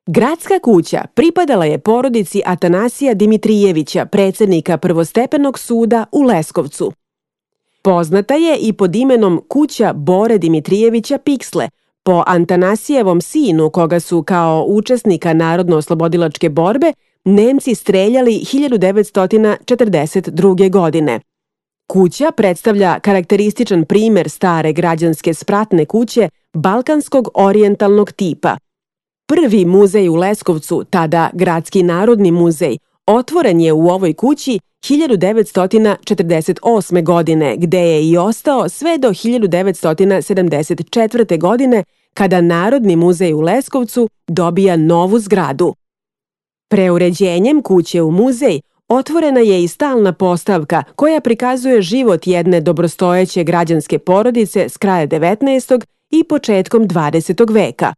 Gradska kuća pripadala je porodici Atanasija Dimitrijevića, predsednika Prvostepenog suda u Leskovcu. Poznata je i pod imenom kuća Bore Dimitrijevića Piksle, po Atanasijevom sinu koga su kao učesnika Narodno-oslobodilačke borbe Nemci streljali 1942. godine. Kuća predstavlja karakterističan primer stare građanske spratne kuće balkanskog orijentalnog tipa. Prvi muzej u Leskovcu, tada Gradski narodni muzej, otvoren je u ovoj kući 1948. godine, gde je i ostao sve do 1974. godine, kada Narodni muzej u Leskovcu dobija novu zgradu. Preuređenjem kuće u muzej otvorena je i stalna postavka koja prikazuje život jedne dobrostojeće građanske porodice s kraja 19. i početkom 20. veka.